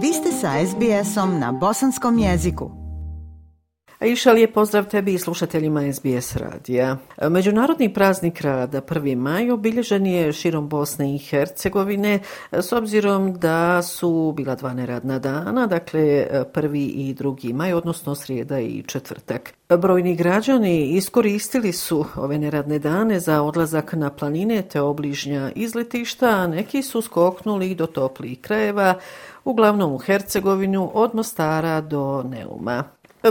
Vi ste sa SBS-om na bosanskom jeziku. Aisha, lijep pozdrav tebi i slušateljima SBS radija. Međunarodni praznik rada 1. maj obilježen je širom Bosne i Hercegovine s obzirom da su bila 2 neradna dana, dakle 1. i 2. maj, odnosno srijeda i četvrtak. Brojni građani iskoristili su ove neradne dane za odlazak na planine te obližnja izletišta, a neki su skoknuli do toplijih krajeva, uglavnom u Hercegovinu od Mostara do Neuma.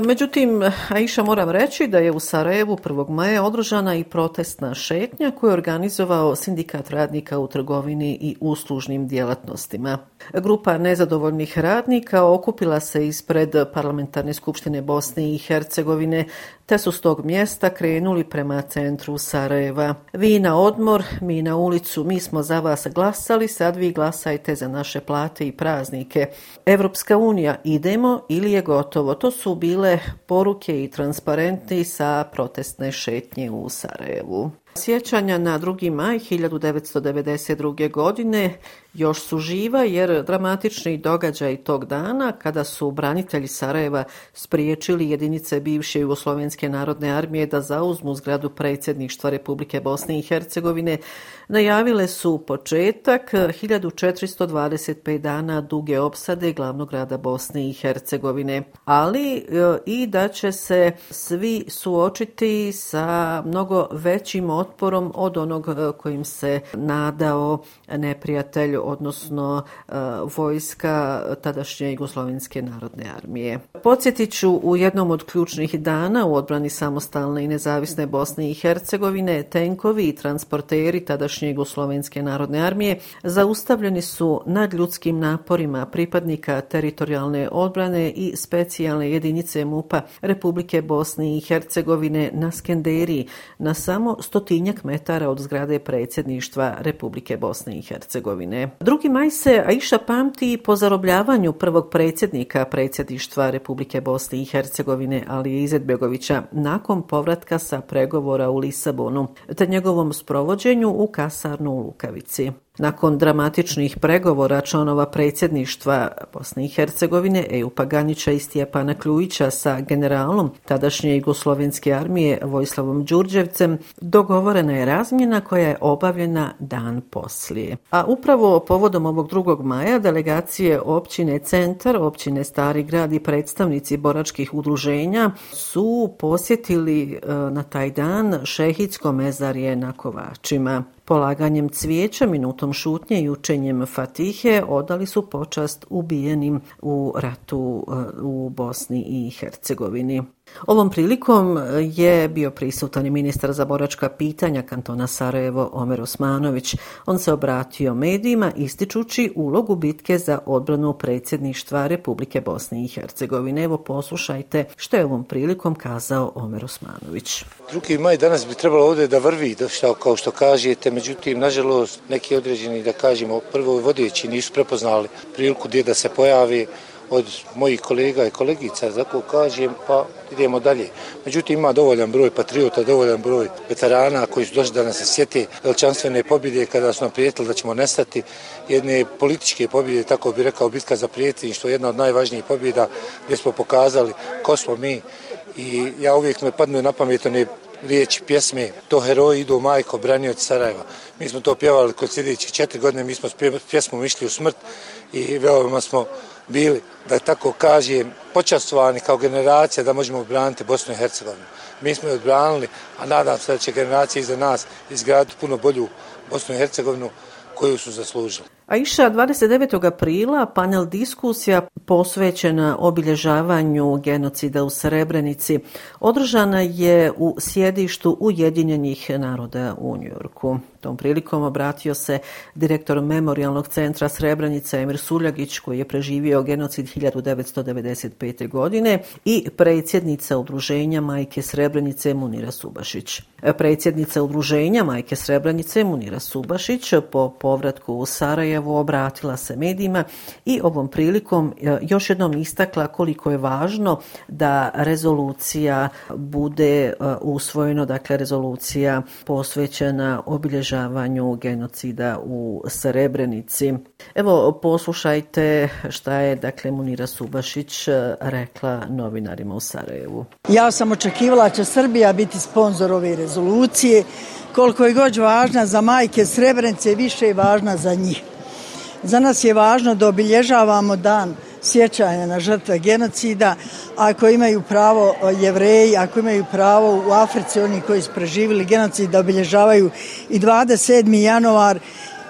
Međutim, Aisha, moram reći da je u Sarajevu 1. maja održana i protestna šetnja koju je organizovao Sindikat radnika u trgovini i uslužnim djelatnostima. Grupa nezadovoljnih radnika okupila se ispred Parlamentarne skupštine Bosne i Hercegovine te su s tog mjesta krenuli prema centru Sarajeva. Vi na odmor, mi na ulicu, mi smo za vas glasali, sad vi glasajte za naše plate i praznike. Evropska unija, idemo ili je gotovo. To su bile poruke i transparenti sa protestne šetnje u Sarajevu. Sjećanja na 2. maj 1992. godine još su živa jer dramatični događaj tog dana kada su branitelji Sarajeva spriječili jedinice bivše Jugoslovenske narodne armije da zauzmu zgradu predsjedništva Republike Bosne i Hercegovine najavile su početak 1425 dana duge opsade glavnog grada Bosne i Hercegovine, ali i da će se svi suočiti sa mnogo većim otporom od onog kojim se nadao neprijatelj, odnosno vojska tadašnje Jugoslovenske narodne armije. Podsjetit ću, u jednom od ključnih dana u odbrani samostalne i nezavisne Bosne i Hercegovine tenkovi i transporteri tadašnje Jugoslovenske narodne armije zaustavljeni su nad ljudskim naporima pripadnika teritorijalne odbrane i specijalne jedinice MUP-a Republike Bosne i Hercegovine na Skenderiji, na samo 100 metara od zgrade predsjedništva Republike Bosne i Hercegovine. 2. maj se, Aisha, pamti po zarobljavanju prvog predsjednika predsjedništva Republike Bosne i Hercegovine Alije Izetbegovića nakon povratka sa pregovora u Lisabonu te njegovom sprovođenju u kasarnu u Lukavici. Nakon dramatičnih pregovora članova predsjedništva Bosne i Hercegovine Ejupa Ganića i Stjepana Kljujića sa generalom tadašnje Jugoslovenske armije Vojislavom Đurđevcem dogovorena je razmjena koja je obavljena dan poslije. A upravo povodom ovog 2. maja delegacije općine Centar, općine Stari grad i predstavnici boračkih udruženja su posjetili na taj dan šehidsko mezarje na Kovačima. Polaganjem cvijeća, minutom šutnje i učenjem Fatihe odali su počast ubijenim u ratu u Bosni i Hercegovini. Ovom prilikom je bio prisutan i ministar za boračka pitanja kantona Sarajevo Omer Osmanović. On se obratio medijima ističući ulogu bitke za odbranu predsjedništva Republike Bosne i Hercegovine. Evo, poslušajte što je ovom prilikom kazao Omer Osmanović. 2. maj danas bi trebalo ovdje da vrvi, kao što kažete, međutim, nažalost, neki određeni, da kažemo, prvo vodeći nisu prepoznali priliku gdje da se pojavi od mojih kolega i kolegica, tako kažem, pa idemo dalje. Međutim, ima dovoljan broj patriota, dovoljan broj veterana koji su došli da nas se sjete veličanstvene pobjede kada su nam prijetili da ćemo nestati, jedne političke pobjede, tako bi rekao, bitka za predsjedništvo, jedna od najvažnijih pobjeda gdje smo pokazali ko smo mi. I ja uvijek me padnu na pamet one riječi pjesme, to heroji idu majko, branioci Sarajeva. Mi smo to pjevali kod sljedećih 4 godine, mi smo s pjesmom išli u smrt i veoma smo bili, da tako kažem, počastvovani kao generacija da možemo obraniti Bosnu i Hercegovinu. Mi smo je odbranili, a nadam se da će generacije iza nas izgraditi puno bolju Bosnu i Hercegovinu koju su zaslužili. Aisha, 29. aprila panel diskusija posvećena obilježavanju genocida u Srebrenici održana je u sjedištu Ujedinjenih naroda u Njujorku. Tom prilikom obratio se direktor Memorijalnog centra Srebrenica Emir Suljagić, koji je preživio genocid 1995. godine, i predsjednica udruženja Majke Srebrenice Munira Subašić. Predsjednica udruženja Majke Srebrenice Munira Subašić po povratku u Sarajevo Sarajevo obratila se medijima i ovom prilikom još jednom istakla koliko je važno da rezolucija bude usvojena, dakle rezolucija posvećena obilježavanju genocida u Srebrenici. Evo, poslušajte šta je, dakle, Munira Subašić rekla novinarima u Sarajevu. Ja sam očekivala da će Srbija biti sponzor ove rezolucije. Koliko je god važna za majke Srebrenice, više je važna za njih. Za nas je važno da obilježavamo dan sjećanja na žrtve genocida, ako imaju pravo Jevreji, ako imaju pravo u Africi oni koji su preživjeli genocid da obilježavaju i 27. januar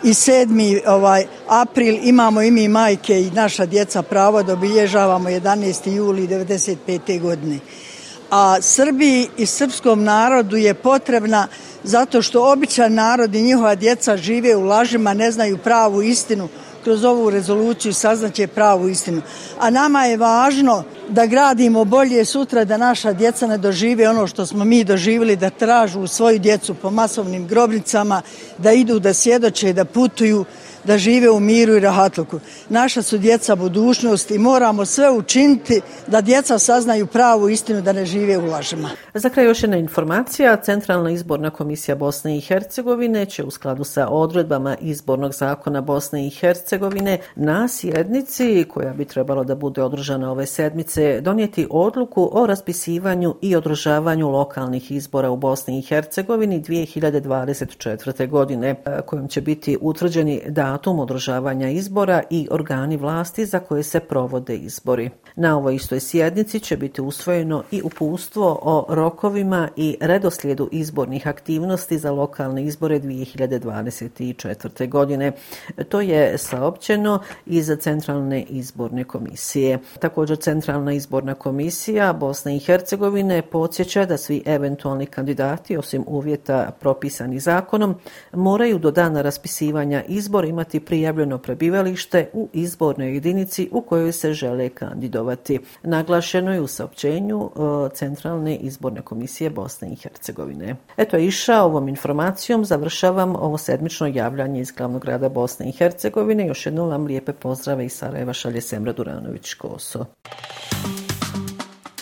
i 7. april, imamo i mi majke i naša djeca pravo da obilježavamo 11. juli 1995. godine. A Srbiji i srpskom narodu je potrebna zato što običan narod i njihova djeca žive u lažima, ne znaju pravu istinu. Kroz ovu rezoluciju saznaće pravu istinu. A nama je važno da gradimo bolje sutra, da naša djeca ne dožive ono što smo mi doživjeli, da tražu svoju djecu po masovnim grobnicama, da idu, da svjedoče, da putuju, da žive u miru i rahatluku. Naša su djeca budućnost i moramo sve učiniti da djeca saznaju pravu istinu, da ne žive u lažima. Za kraj još jedna informacija. Centralna izborna komisija Bosne i Hercegovine će u skladu sa odredbama izbornog zakona Bosne i Hercegovine na sjednici koja bi trebalo da bude održana ove sedmice donijeti odluku o raspisivanju i održavanju lokalnih izbora u Bosni i Hercegovini 2024. godine, kojom će biti utvrđeni datum održavanja izbora i organi vlasti za koje se provode izbori. Na ovoj istoj sjednici će biti usvojeno i uputstvo o rokovima i redoslijedu izbornih aktivnosti za lokalne izbore 2024. godine. To je saopćeno iz Centralne izborne komisije. Također Centralna izborna komisija Bosne i Hercegovine podsjeća da svi eventualni kandidati, osim uvjeta propisani zakonom, moraju do dana raspisivanja izbora imati prijavljeno prebivalište u izbornoj jedinici u kojoj se žele kandidovati. Naglašeno je u saopćenju Centralne izborne komisije Bosne i Hercegovine. Eto, Iša, ovom informacijom završavam ovo sedmično javljanje iz glavnog grada Bosne i Hercegovine. Još jednom vam lijepe pozdrave iz Sarajeva šalje Semra Duranović-Koso.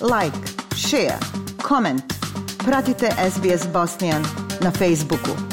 Like, share, comment. Pratite SBS Bosnian na Facebooku.